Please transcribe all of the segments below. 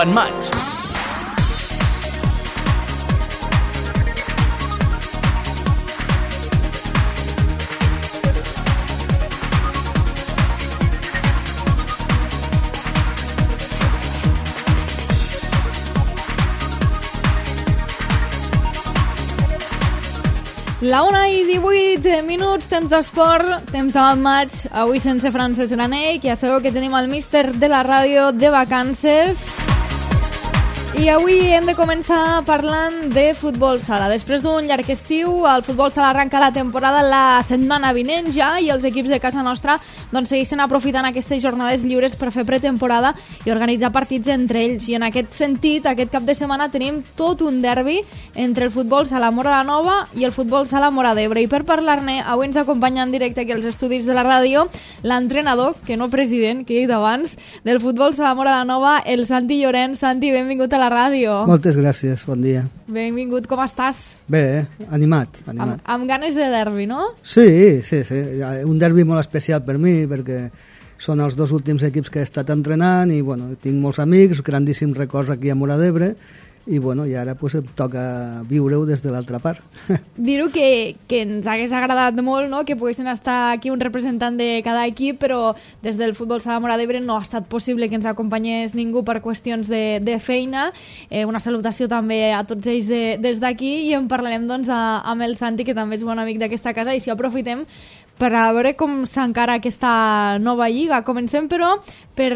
Open Match. La 1:18, temps d'esport, temps de maig, avui sense Francesc Granell, que ja sabeu que tenim el míster de la ràdio de vacances. I avui hem de començar parlant de futbol sala. Després d'un llarg estiu, el futbol sala arranca la temporada la setmana vinent ja i els equips de casa nostra segueixen aprofitant aquestes jornades lliures per fer pretemporada i organitzar partits entre ells. I en aquest sentit, aquest cap de setmana tenim tot un derbi entre el futbol sala Móra la Nova i el futbol sala Móra d'Ebre. I per parlar-ne, avui ens acompanya en directe aquí als estudis de la ràdio l'entrenador, que no president, que he dit abans, del futbol sala Móra la Nova, el Santi Llorenç. Santi, benvingut a la ràdio. Moltes gràcies, bon dia. Benvingut, com estàs? Bé, animat. Amb ganes de derbi, no? Sí. Un derbi molt especial per mi, perquè són els dos últims equips que he estat entrenant i tinc molts amics, grandíssims records aquí a Móra d'Ebre i ara em toca viure-ho des de l'altra part. Dir-ho que ens hagués agradat molt, no?, que poguessin estar aquí un representant de cada equip, però des del futbol sala Móra d'Ebre no ha estat possible que ens acompanyés ningú per qüestions de feina. Una salutació també a tots ells des d'aquí i en parlarem amb el Santi, que també és bon amic d'aquesta casa, i si aprofitem per a veure com s'encara aquesta nova lliga. Comencem, però, per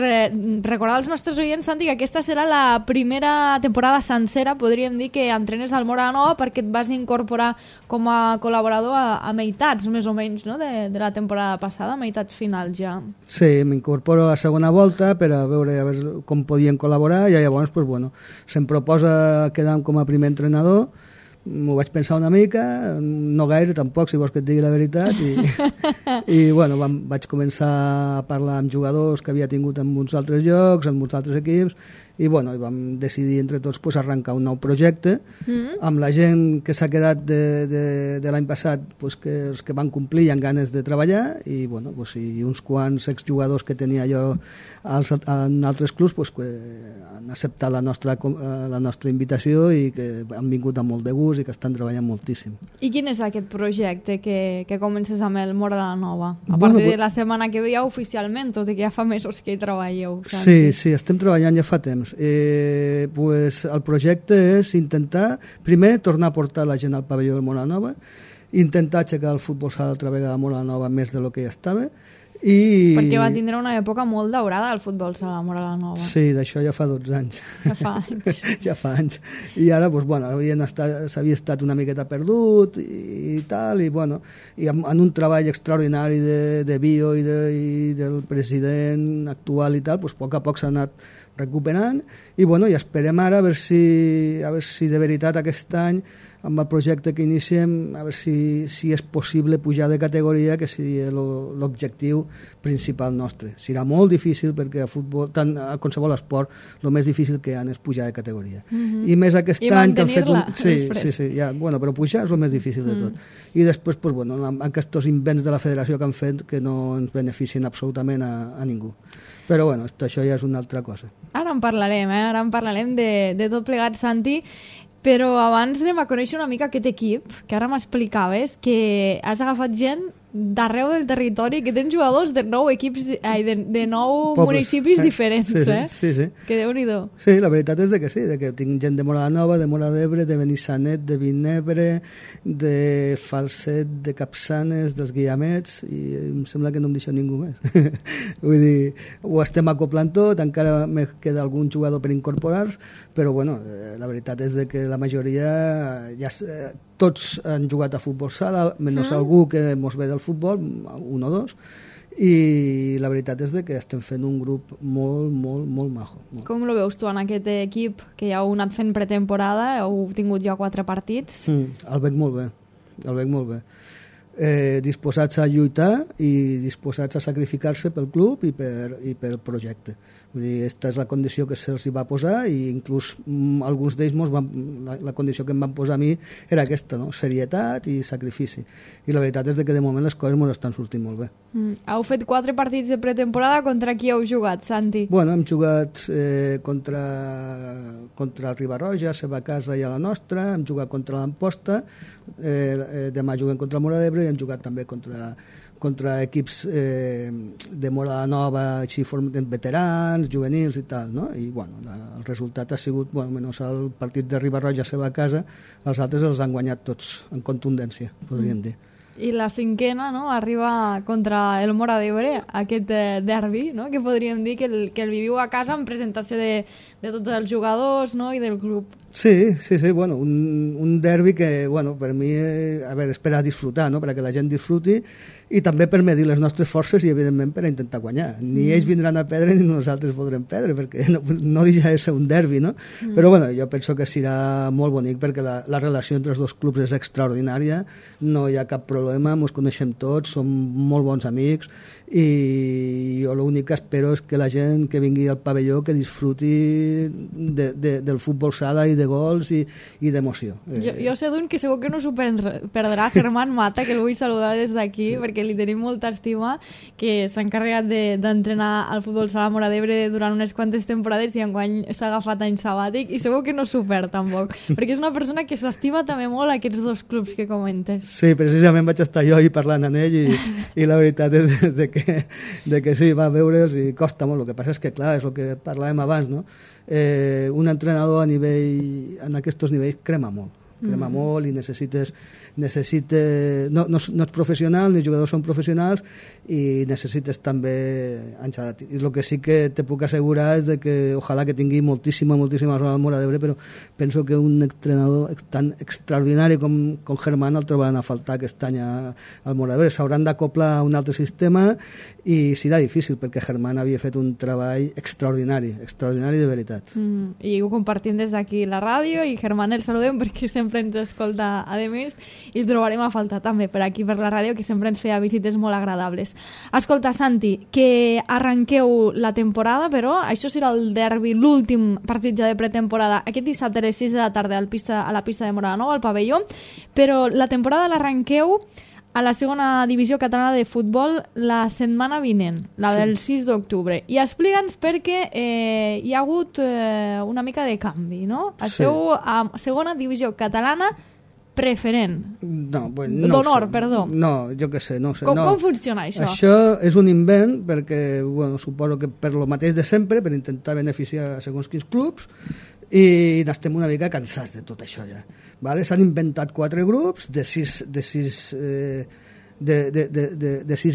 recordar als nostres oients, Santi, que aquesta serà la primera temporada sencera, podríem dir, que entrenes al Móra la Nova, perquè et vas incorporar com a col·laborador a meitats, més o menys, no?, de la temporada passada, a meitats finals ja. Sí, m'incorporo a la segona volta per a veure com podien col·laborar i llavors se'm proposa quedar com a primer entrenador. M'ho vaig pensar una mica, no gaire tampoc, si vols que et digui la veritat, i vaig començar a parlar amb jugadors que havia tingut en uns altres llocs, en uns altres equips, i vam decidir entre tots arrencar un nou projecte amb la gent que s'ha quedat de l'any passat, que els que van complir amb ganes de treballar, i uns quants exjugadors que tenia jo en altres clubs que han acceptat la nostra invitació i que han vingut amb molt de gust i que estan treballant moltíssim. I quin és aquest projecte que comences amb el Móra la Nova? A partir de la setmana que ve ja oficialment, tot i que ja fa mesos que hi treballeu. Sí, estem treballant ja fa temps. El projecte és intentar, primer, tornar a portar la gent al pavelló del Móra la Nova, intentar aixecar el futbol sala altra vegada a Móra la Nova més de lo que ja estava, perquè va tindre una època molt daurada el futbol sala Móra la Nova. Sí, d'això ja fa 12 anys. Ja fa anys. I ara, s'havia estat una miqueta perdut i tal, i en un treball extraordinari de bio i del president actual i tal, a poc a poc s'ha anat recuperant i esperem ara a veure si de veritat aquest any amb el projecte que iniciem, a veure si és possible pujar de categoria, que seria l'objectiu principal nostre. Serà molt difícil perquè a futbol, tant a qualsevol esport, el més difícil que hi ha és pujar de categoria. I més aquest any que han fet Sí, però pujar és el més difícil de tot. I després, amb aquests invents de la federació que han fet que no ens beneficien absolutament a ningú. Però això ja és una altra cosa. Ara en parlarem de tot plegat, Santi. Però abans anem a conèixer una mica aquest equip, que ara m'explicaves que has agafat gent d'arreu del territori, que tens jugadors de 9 equips, de 9 municipis diferents, Sí. Que Déu-n'hi-do. Sí, la veritat és que sí, que tinc gent de Móra la Nova, de Móra d'Ebre, de Benissanet, de Vinebre, de Falset, de Capçanes, dels Guillamets, i em sembla que no em deixo ningú més. Vull dir, ho estem acoplant tot, encara me queda algun jugador per incorporar, però la veritat és que la majoria tots han jugat a futbol sala, menys algú que mos ve del futbol, un o dos, i la veritat és que estem fent un grup molt, molt, molt majo. Com lo veus tu en aquest equip, que ja heu anat fent pretemporada, heu tingut ja 4 partits? El veig molt bé. Disposats a lluitar i disposats a sacrificar-se pel club i pel projecte. Vull dir, aquesta és la condició que se'ls va posar i inclús alguns d'ells la condició que em van posar a mi era aquesta, no? Serietat i sacrifici. I la veritat és que de moment les coses ens estan sortint molt bé. Heu fet 4 partits de pretemporada. Contra qui heu jugat, Santi? Bueno, hem jugat contra el Riba-roja, a seva casa i a la nostra, hem jugat contra l'Amposta, demà juguem contra el Móra d'Ebre i hem jugat també contra equips de Móra Nova, així veterans, juvenils i tal, no? I bueno, el resultat ha sigut, bueno, menys el partit de Riba-roja a seva casa, els altres els han guanyat tots en contundència, podríem dir. I la cinquena, no?, arriba contra el Móra d'Ebre, aquest derbi, no?, que podríem dir que el viviu a casa en presentació de tots els jugadors, no?, i del club. Sí, bueno, un derbi que, bueno, per mi, a veure, és per a disfrutar, no?, perquè la gent disfruti i també per medir les nostres forces i, evidentment, per a intentar guanyar. Ni ells vindran a perdre ni nosaltres voldrem perdre, perquè no deixa de ser un derbi, no? Però, bueno, jo penso que serà molt bonic perquè la relació entre els dos clubs és extraordinària, no hi ha cap problema, ens coneixem tots, som molt bons amics i jo l'únic que espero és que la gent que vingui al pavelló que disfruti del futbol sala i de gols i d'emoció. Jo sé d'un que segur que no s'ho perdrà, Germán Mata, que el vull saludar des d'aquí, sí, perquè li tenim molta estima, que s'ha encarregat d'entrenar al futbol sala Móra d'Ebre durant unes quantes temporades i enguany s'ha agafat any sabàtic i segur que no s'ho perd tampoc, perquè és una persona que s'estima també molt aquests dos clubs que comentes. Sí, precisament vaig estar jo ahir parlant amb ell i la veritat és de que sí, va veure'ls i costa molt. El que passa és que, clar, és el que parlàvem abans, no? Un entrenador en aquests nivells crema molt i necessites no ets professional, ni els jugadors són professionals i necessites també enxadat. I el que sí que te puc assegurar és de que ojalà que tingui moltíssima zona al Móra d'Ebre, però penso que un entrenador tan extraordinari com Germán el trobaran a faltar aquest any al Móra d'Ebre. S'hauran d'acoplar a un altre sistema i serà difícil perquè Germán havia fet un treball extraordinari de veritat. I ho compartim des d'aquí la ràdio i Germán el saludem perquè sempre ens escolta a més i el trobarem a faltar també per aquí per la ràdio, que sempre ens feia visites molt agradables. Escolta, Santi, que arranqueu la temporada, però això serà el derbi, l'últim partit ja de pretemporada, aquest dissabte a les 6 de la tarda a la pista de Móra Nova, al pavelló, però la temporada l'arranqueu a la segona divisió catalana de futbol la setmana vinent, la del 6 d'octubre. I explica'ns perquè hi ha hagut una mica de canvi, no? Esteu a segona divisió catalana preferent. D'honor, perdó. No, jo què sé, no sé. Com funciona això? Això és un invent perquè, bueno, suposo que per lo mateix de sempre, per intentar beneficiar segons quins clubs, i n'estem una mica cansats de tot això ja. Vale? S'han inventat 4 grups de 6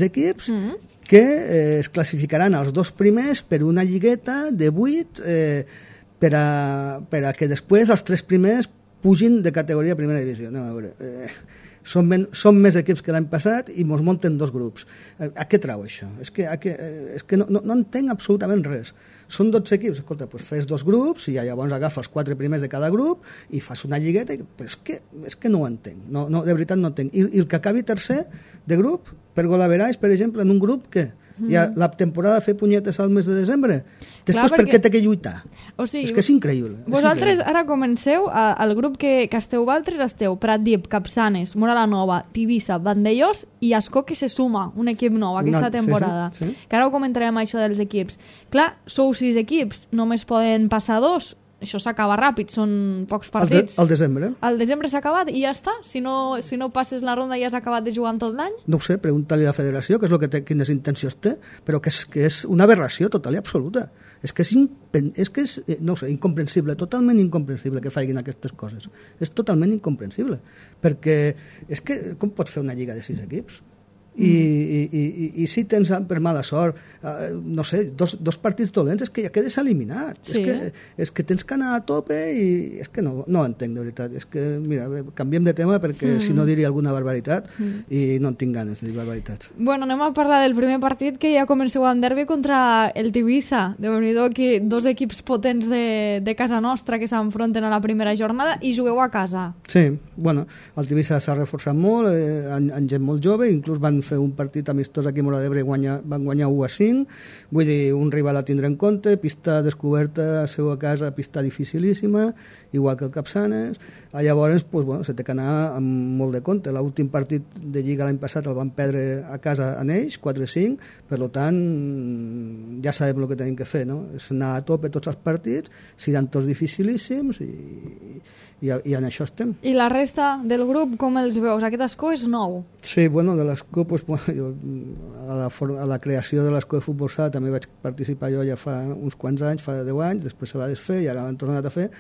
equips que es classificaran els 2 primers per una lligueta de 8 per a que després els 3 primers pugin de categoria a primera divisió. Anem a veure. Són més equips que l'any passat i ens munten 2 grups. A què trau això? És que no entenc absolutament res. Són 12 equips, escolta, doncs fes 2 grups i llavors agafes 4 primers de cada grup i fas una lligueta, però és que no ho entenc. No, de veritat no entenc. I el que acabi tercer de grup, per golaveraix, per exemple, en un grup, què? I la temporada fer punyetes al mes de desembre? Després per què té que lluitar? O sigui, és que és increïble. Vosaltres ara comenceu, el grup que esteu vosaltres esteu Pratdip, Capçanes, Móra la Nova, Tivissa, Vandellós i Ascó, que se suma un equip nou aquesta temporada. Sí. Que ara ho comentarem això dels equips. Clar, sou 6 equips, només poden passar 2. Això s'acaba ràpid, són pocs partits. Al desembre. Al desembre s'ha acabat i ja està? Si no passes la ronda ja has acabat de jugar tot l'any? No ho sé, pregunta-li a la federació, que és el que té, quines intencions té, però que és una aberració total i absoluta. És que és no ho sé, incomprensible, totalment incomprensible que facin aquestes coses. És totalment incomprensible, perquè és que com pots fer una lliga de 6 equips? I si tens per mala sort no sé, dos partits dolents, és que ja quedes eliminat. Sí. És que tens que anar a tope i és que no entenc de veritat. És que, mira, canviem de tema perquè si no diria alguna barbaritat i no en tinc ganes de dir barbaritats. Bueno, anem a parlar del primer partit, que ja comenceu amb derbi contra el Tivissa. Déu-n'hi-do, que 2 equips potents de casa nostra que s'enfronten a la primera jornada i jugueu a casa. Sí, bueno, el Tivissa s'ha reforçat molt, amb gent molt jove, inclús van fer un partit amistós aquí a Móra d'Ebre i van guanyar 1-5, vull dir, un rival a tindre en compte, pista descoberta a seva casa, pista dificilíssima, igual que el Capçanes. Llavors, pues, bueno, se té que anar amb molt de compte. L'últim partit de Lliga l'any passat el van perdre a casa en ells, 4-5, per tant, ja sabem el que tenim que fer, no? És anar a tope tots els partits, seran tots dificilíssims i en això estem. I la resta del grup, com els veus? Aquest escó és nou. Sí, bueno, de l'escó, pues, bueno, jo, a la creació de l'escó de futbol sala també vaig participar jo ja fa uns quants anys, fa 10 anys, després se va desfer i ara l'han tornat a fer.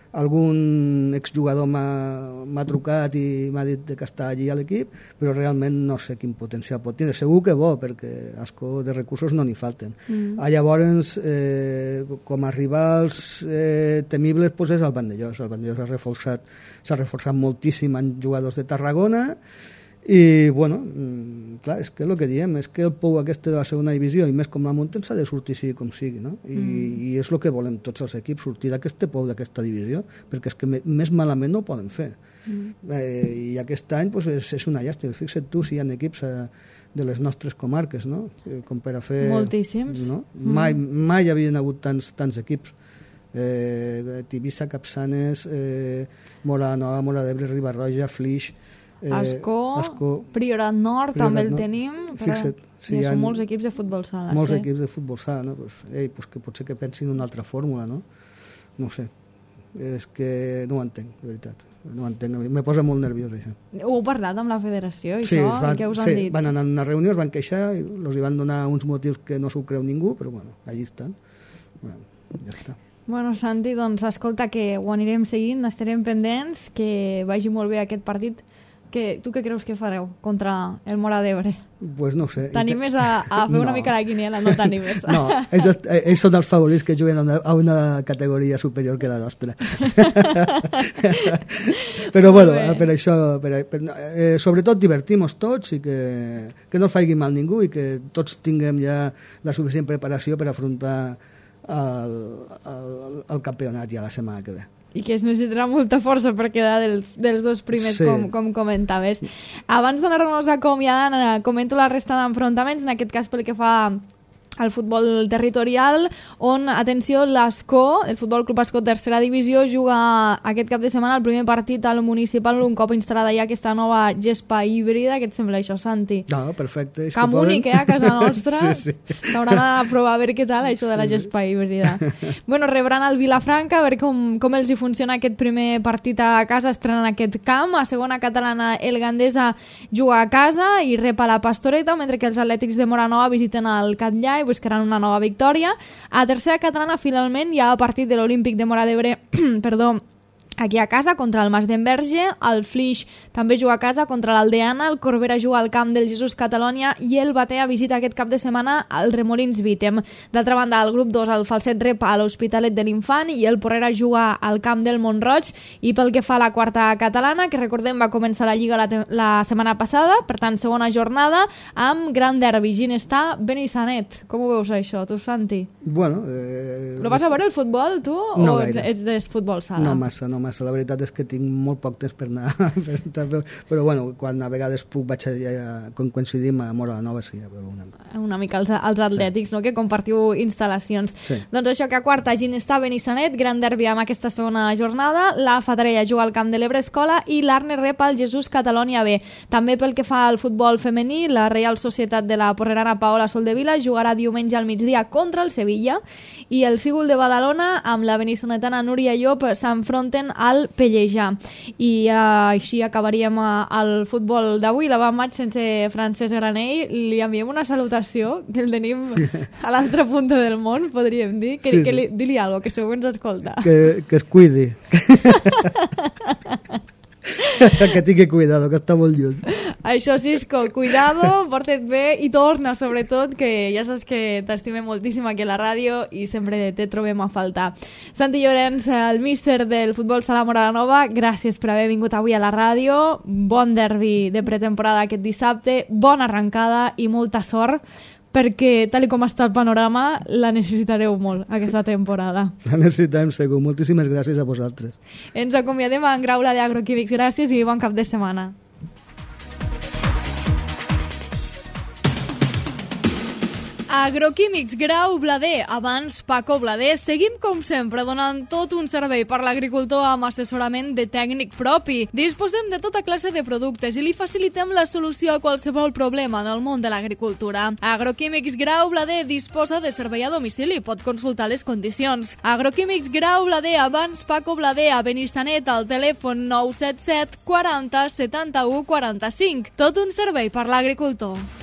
Algun exjugador m'ha trucat i m'ha dit que està allí a l'equip, però realment no sé quin potencial pot tindre. Segur que bo, perquè escó de recursos no n'hi falten. Llavors, com a rivals temibles, pues és el Vandellós. El Vandellós s'ha reforçat moltíssim en jugadors de Tarragona i, bueno, clar, és que el que diem és que el pou aquest de la segona divisió, i més com la munten, s'ha de sortir sigui com sigui, no? I és el que volem tots els equips, sortir d'aquest pou d'aquesta divisió, perquè és que més malament no ho poden fer. I aquest any pues, és una llàstima. Fixa't tu si hi ha equips de les nostres comarques, no? Com per a fer... Moltíssims. No? Mai hi havien hagut tants equips. Tivissa, Capçanes, Móra Nova, Móra d'Ebre, Riba-roja, Flix... Ascó, Priorat Nord també el tenim, però són molts equips de futbol sala. Molts equips de futbol sala, no? Pues que potser que pensin en una altra fórmula, no? No ho sé, és que no ho entenc, de veritat, no ho entenc, me posa molt nerviós això. Ho heu parlat amb la federació, això? Què us han dit? Sí, van anar a una reunió, es van queixar i els van donar uns motius que no s'ho creu ningú, però bueno, allí estan, bueno, ja està. Bueno, Santi, doncs escolta, que ho anirem seguint, estarem pendents, que vagi molt bé aquest partit. Tu què creus que fareu contra el Móra d'Ebre? Pues no sé. T'animes a fer una mica la quiniela? No t'animes. No, ells són els favorits que juguen a una categoria superior que la nostra. Però bueno, per això, sobretot divertim-nos tots i que no faci mal ningú i que tots tinguem ja la suficient preparació per afrontar el campionat ja la setmana que ve. I que es necessitarà molta força per quedar dels dos primers, com comentaves. Abans d'anar-nos acomiadant, comento la resta d'enfrontaments, en aquest cas pel que fa al futbol territorial, on, atenció, l'Ascó, el Futbol Club Ascó tercera divisió, juga aquest cap de setmana el primer partit al municipal, un cop instal·lada ja aquesta nova gespa híbrida. Què et sembla això, Santi? No, perfecte. Camp únic, a casa nostra. Sí. S'hauran de provar a veure què tal, això de la gespa híbrida. Bueno, rebran el Vilafranca, a veure com els hi funciona aquest primer partit a casa, estrenant aquest camp. A segona catalana, el Gandesa juga a casa i rep a la Pastoreta, mentre que els Atlètics de Móra Nova visiten el Catllà i buscaran una nova victòria. A tercera catalana, finalment, hi ha el partit de l'Olímpic de Móra d'Ebre, aquí a casa contra el Mas d'Enverge, el Flix també juga a casa contra l'Aldeana, el Corbera juga al camp del Jesús Catalònia i el Batea visita aquest cap de setmana al Remolins Vítem. D'altra banda, el grup 2, el Falset rep a l'Hospitalet de l'Infant i el Porrera juga al camp del Montroig. I pel que fa a la quarta catalana, que recordem va començar la Lliga la setmana passada, per tant, segona jornada, amb gran derbi, Ginestar, Benissanet. Com ho veus això, tu, Santi? Bueno... Però vas a veure el futbol, tu? No, o ets de futbol sala? No massa. La veritat és que tinc molt poc temps per anar, però bueno, quan a vegades puc vaig quan coincidim a Móra Nova, sí, a veure una mica els atlètics, no? Que compartiu instal·lacions. Sí. Doncs això, que a quarta, Ginestar, Benissanet, gran derbi amb aquesta segona jornada, la Fatarella juga al camp de l'Ebre Escola i l'Arne rep al Jesús Catalònia B. També pel que fa al futbol femení, la Reial Societat de la Porrerana Paola Soldevila jugarà diumenge al migdia contra el Sevilla i el Fígol de Badalona amb la benissanetana Núria Llop s'enfronten al Pellejà. I així acabaríem el futbol d'avui, l'avantmatx sense Francesc Granell. Li enviem una salutació, que el tenim a l'altra punta del món, podríem dir. Dili alguna cosa, que segur ens escolta. Que es cuidi. Que tingui cuidado, que està molt lluny. Això, Cisco, cuidado, porta't bé i torna, sobretot, que ja saps que t'estimem moltíssim aquí a la ràdio i sempre te trobem a faltar. Santi Llorenç, el míster del futbol sala Móra Nova, gràcies per haver vingut avui a la ràdio. Bon derbi de pretemporada aquest dissabte, bona arrencada i molta sort, perquè tal com està el panorama la necessitareu molt aquesta temporada. La necessitem segur. Moltíssimes gràcies a vosaltres. Ens acomiadem a en Graula d'Agroquímics. Gràcies i bon cap de setmana. Agroquímics Grau Blader, abans Paco Blader. Seguim, com sempre, donant tot un servei per l'agricultor amb assessorament de tècnic propi. Disposem de tota classe de productes i li facilitem la solució a qualsevol problema en el món de l'agricultura. Agroquímics Grau Blader disposa de servei a domicili. Pot consultar les condicions. Agroquímics Grau Blader, abans Paco Blader, a Benissanet, al telèfon 977 40 71 45. Tot un servei per l'agricultor.